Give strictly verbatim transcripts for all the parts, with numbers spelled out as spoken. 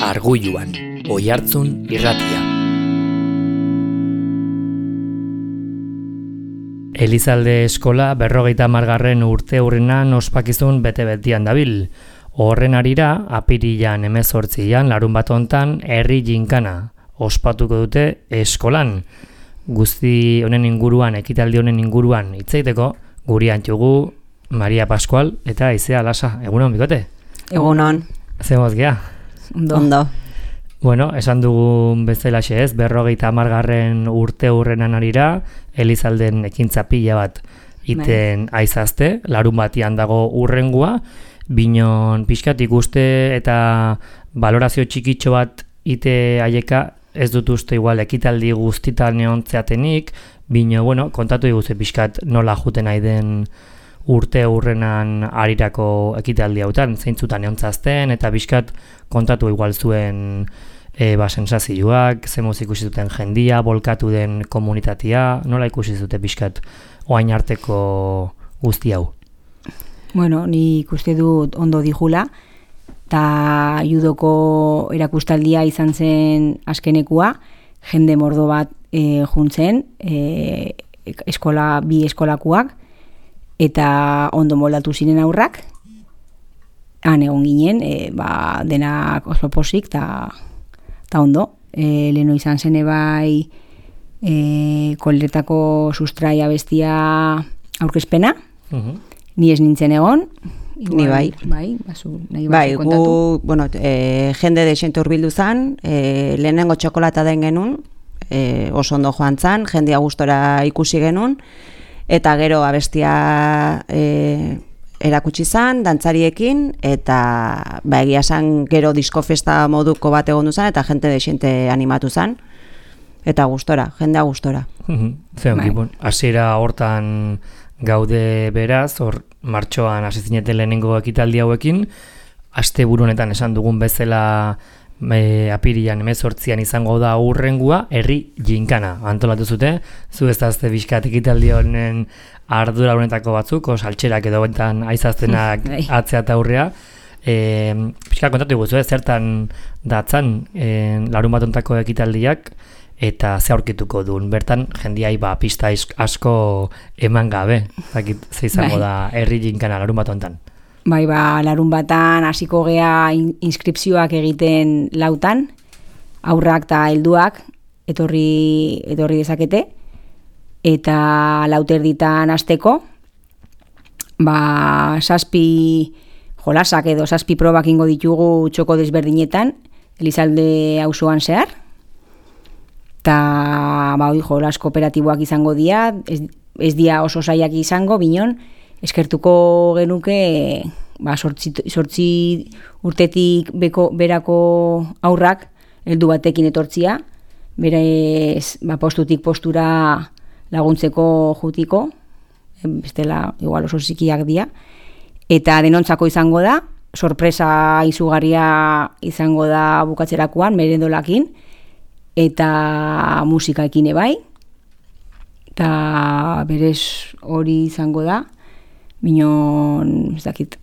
Argulluan, Oihartzun irratia. Elizalde eskola berrogeita hamargarren urte hurrenan ospakizun bete-betian dabil. Horren arira, apirilan hemezortzian larun bat hontan herri ginkana ospatuko dute eskolan. Guzti honen inguruan, ekitaldi honen inguruan hitz egiteko, guri antxugu Maria Pascual eta Aizea Lasa. Egunon, bikote? Egunon. Zemoz gea? Ondo. Ondo. Bueno, esan dugun bezalaxe ez, berrogeita hamargarren urte hurrenan arira, Elizalden ekintza pila bat iten aizazte, larun batian dago urrengua, binon pixkat ikuste eta valorazio txikitxo bat ite aieka ez dut uste igual ekitaldi guztitan neontzeatenik, bino, bueno, kontatu diguzte pixkat nola juten nahi den urte hurrenan arirako ekitaldi hautan, zeintzutan neontzazten, eta pixkat kontatu igual zuen e, ba, sensazioak, zemoz ikusi zuten jendia, bolkatu den komunitatea, nola ikusi zute pixkat oain arteko guzti hau? Bueno, ni ikuste dut ondo dijula, eta judoko erakustaldia izan zen azkenekua, jende mordo bat e, juntzen, e, eskola, bi eskolakuak, eta ondo moldatu ziren aurrak, han egon ginen, e, ba, denak oso posik, eta ondo. E, leheno izan zen ebai e, koletako sustraia bestia aurkezpena, uh-huh. Ni ez nintzen egon, igual, ni bai. Bai, bazu, nahi bai, kontatu. Gu, bueno, e, jende desente urbildu zan, e, lehenengo txokolata den genuen, e, oso ondo joan zan, jendia gustora ikusi genuen, eta gero abestia e, erakutsi zan, dantzariekin, eta ba, egia zan gero diskofesta moduko bat egon duzan, eta jente desente animatu zan, eta gustora, jendea gustora. Zeon, gipun, hasiera hortan gaude beraz, hor martxoan hasi zineten lehenengo ekitaldi hauekin, asteburu honetan esan dugun bezala e, apirilan hemezortzian izango da hurrengua, herri ginkana antolatu zute, zu ez dazte bizkat ekitaldi honen ardura honetako batzuk, saltxerak edo bentan aizaztenak atzea eta aurrea, e, bizkat kontatu guzu, zertan datzan e, larun bat ontako ekitaldiak, eta ze aurkituko duen, bertan jendiai ba, pista asko eman gabe, zakit ze izango bai. Da herri ginkana larun bat ontan. Bai, ba, larun batan hasiko gea inskripzioak egiten lautan, aurrak eta helduak etorri, etorri dezakete, eta lauterditan hasteko, ba, saspi jolasak edo saspi probak ingo ditugu txoko desberdinetan, Elizalde auzoan zehar, eta ba, jolas kooperatiboak izango dira, ez, ez dia oso zaiak izango, binon, eskertuko genuke ba, sortzi, sortzi urtetik beko, berako aurrak heldu batekin etortzia, berez ba, postutik postura laguntzeko jutiko, bestela igual oso zikiak dira, eta denontzako izango da, sorpresa izugarria izango da bukatzerakoan, merendolakin, eta musikaekin ebai, eta berez hori izango da, binon, ez dakit.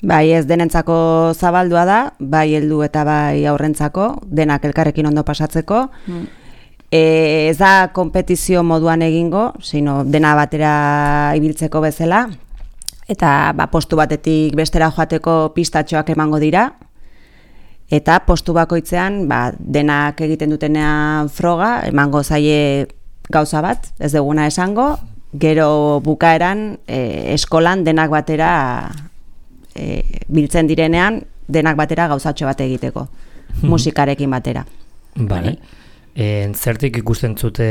Bai, ez denentzako zabaldua da, bai heldu eta bai aurrentzako, denak elkarrekin ondo pasatzeko. Mm. E, ez da konpetizio moduan egingo, sino dena batera ibiltzeko bezala, eta ba, postu batetik bestera joateko pistatxoak emango dira, eta postu bakoitzean ba, denak egiten dutenean froga, emango zaie gauza bat, ez duguna esango, gero bukaeran e, eskolan denak batera e, biltzen direnean, denak batera gauzatxo bat egiteko, musikarekin batera. Bale. E, zertik ikusten zute,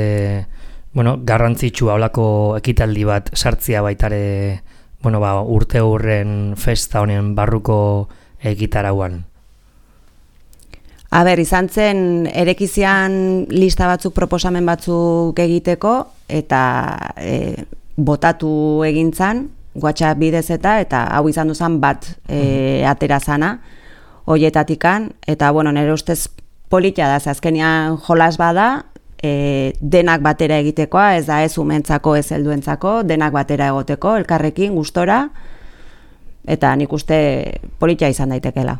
bueno, garrantzitsua holako ekitaldi bat sartzia baitare, bueno, ba, urte hurren festa honen barruko egitarauan? A ber, izan zen, erekizian lista batzuk, proposamen batzuk egiteko, eta e, botatu egintzan, WhatsApp bidez eta, eta hau izan duzan bat e, atera zana, hoietatikan, eta, bueno, nire ustez politia da, azkenean jolas bada, e, denak batera egitekoa, ez da ez umentzako, ez helduentzako, denak batera egoteko, elkarrekin, gustora, eta nik uste politia izan daitekela.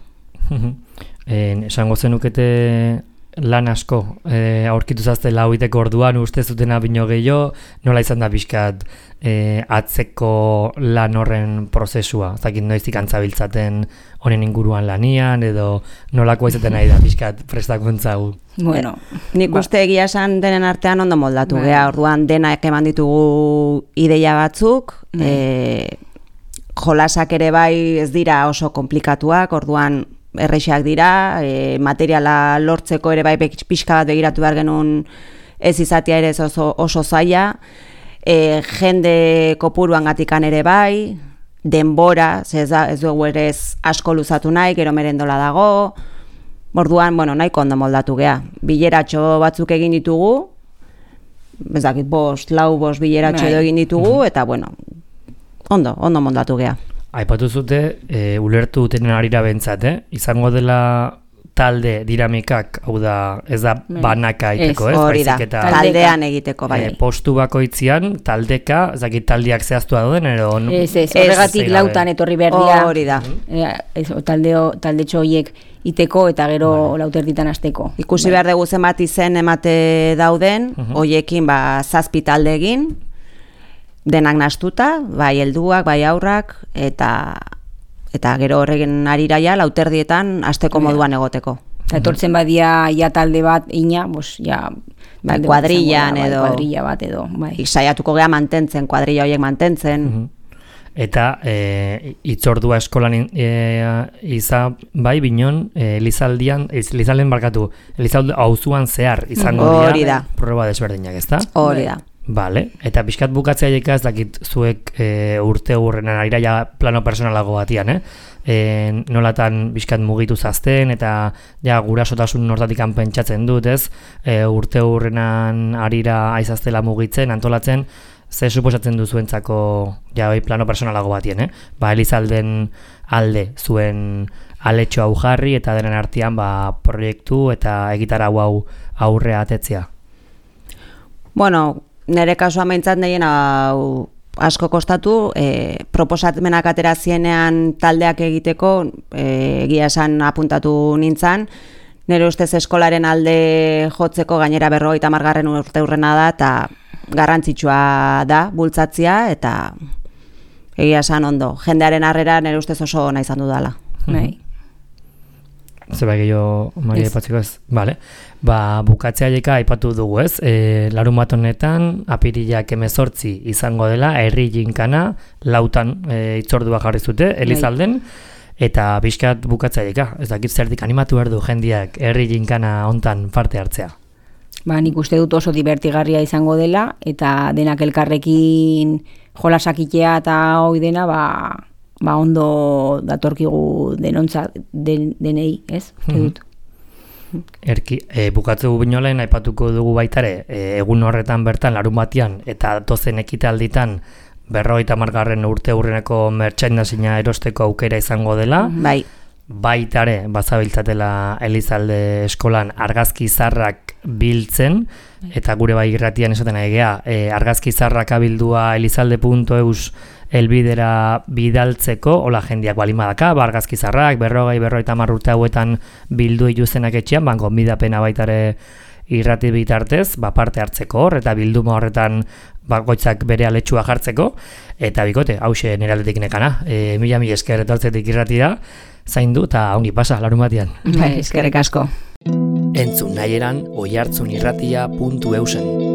En, esango zenukete lan asko e, aurkitu zazte lauiteko orduan uste zutena bino gehiago, nola izan da pixkat e, atzeko lan horren prozesua, zakit noiztik antzabiltzaten honen inguruan lanian, edo nolako izaten nahi da pixkat prestakuntza gu. Bueno, nik uste egia esan denen artean ondo moldatu Bai. gea, orduan denak eman ditugu ideia batzuk, Bai. e, jolasak ere bai ez dira oso komplikatuak, orduan errexak dira, e, materiala lortzeko ere bai pixka bat begiratu behar genuen ez izatea ere ez oso, oso zaila, e, jende kopuruan gatikan ere bai, denbora, ze ez, da, ez dugu ere ez asko luzatu nahi, gero merendola dago, orduan, bueno, nahiko ondo moldatu gea. Bileratxo batzuk egin ditugu, ez dakit, bost, lau, bost bileratxo edo egin ditugu, eta bueno, ondo, ondo moldatu gea. Aipatu zute, e, ulertu dutenen arira bentsat, eh? Izango dela talde dinamikak, hau da, ez da banaka egiteko, ez? Hori da, Baizik eta, taldean egiteko, bai. e, postu bakoitzian, taldeka, ez dakit taldeak zehaztua dauden, edo... Ez, ez, horregatik ez, lautan etorri behar dira. Hori da. E, ez, taldeo, taldetxo horiek iteko eta gero Vale. lauterditan hasteko. Ikusi behar dugu zenbat izen emate dauden, hoiekin ba, zazpi talde egin, denak nastuta, bai helduak, bai aurrak, eta eta gero horregen ariraia lauterdietan hasteko moduan egoteko. Eta etortzen badia ja talde bat ina, bos, ja... Bai, talde bat kuadrillan izango da, bai, edo- Kuadrilla bat edo, bai. Saiatuko gea mantentzen, kuadrilla horiek mantentzen. Eta e, itzordua eskolan e, izan, bai, binon, e, Elizaldian, Elizalden barkatu, Elizalde auzuan zehar izango dira, Hori da. proba desberdinak, ezta? Hori da. Vale, eta pixkat bukatzea jeka ez dakit zuek e, urte hurrenan arira ja plano personalago batian, eh? E, nolatan pixkat mugitu zazten, eta ja gurasotasun nortatikan pentsatzen dut, ez? E, urte hurrenan arira aizaztela mugitzen, antolatzen, ze suposatzen duzuentzako ja bai plano personalago batien, eh? Ba, Elizalden alde zuen aletxo hau jarri, eta denen artean ba, proiektu eta egitarau hau aurrea atetzea. Bueno, nire kasuan behintzat nahien hau asko kostatu, e, proposatmenak atera zienean taldeak egiteko, e, egia esan apuntatu nintzan, nire ustez eskolaren alde jotzeko gainera berrogeita hamargarren urte hurrena da, eta garrantzitsua da bultzatzia, eta egia esan ondo. Jendearen harrera nire ustez oso ona izan dudala. Bai. Zeba gehiago Maria aipatzeko ez? Vale. Ba, bukatzea jeka aipatu dugu ez, e, larun bat honetan apirilak hemezortzi izango dela, herri jinkana, lautan e, itzordua jarri zute, Elizalden, eta pixkat bukatzea jeka, ez dakit zertik animatu behar du jendiak herri jinkana hontan parte hartzea. Ba, nik uste dut oso divertigarria izango dela, eta denak elkarrekin jolasakitea eta hoi dena, ba, ba ondo datorkigu denontza den, denei, ez? Uste dut. Erki, e, bukatzu binolen aipatuko dugu baitare, e, egun horretan bertan larun batian eta dozen ekitalditan berrogeita hamargarren urte hurreneko merchandisea erosteko aukera izango dela. Bai. Baitare bazabiltzatela Elizalde eskolan argazki zarrak biltzen, eta gure bai irratian esaten egea, e, argazki zarrak abildua elizalde puntu eus elbidera bidaltzeko, hola jendiak balimadaka, ba, argazki zarrak, berrogei, berrogeita hamar urte hauetan bildu ituzenak etxean, banko midapena baitare irrati bitartez, ba, parte hartzeko hor, eta bilduma horretan bakoitzak bere aletxua jartzeko, eta bikote, hause nire aldetik nekana, e, mila mila esker etortzetik irratira, zaindu eta ongi pasa, larun batian. Bai, eskerrik asko. Entzun nahi eran oihartzunirratia puntu eusen.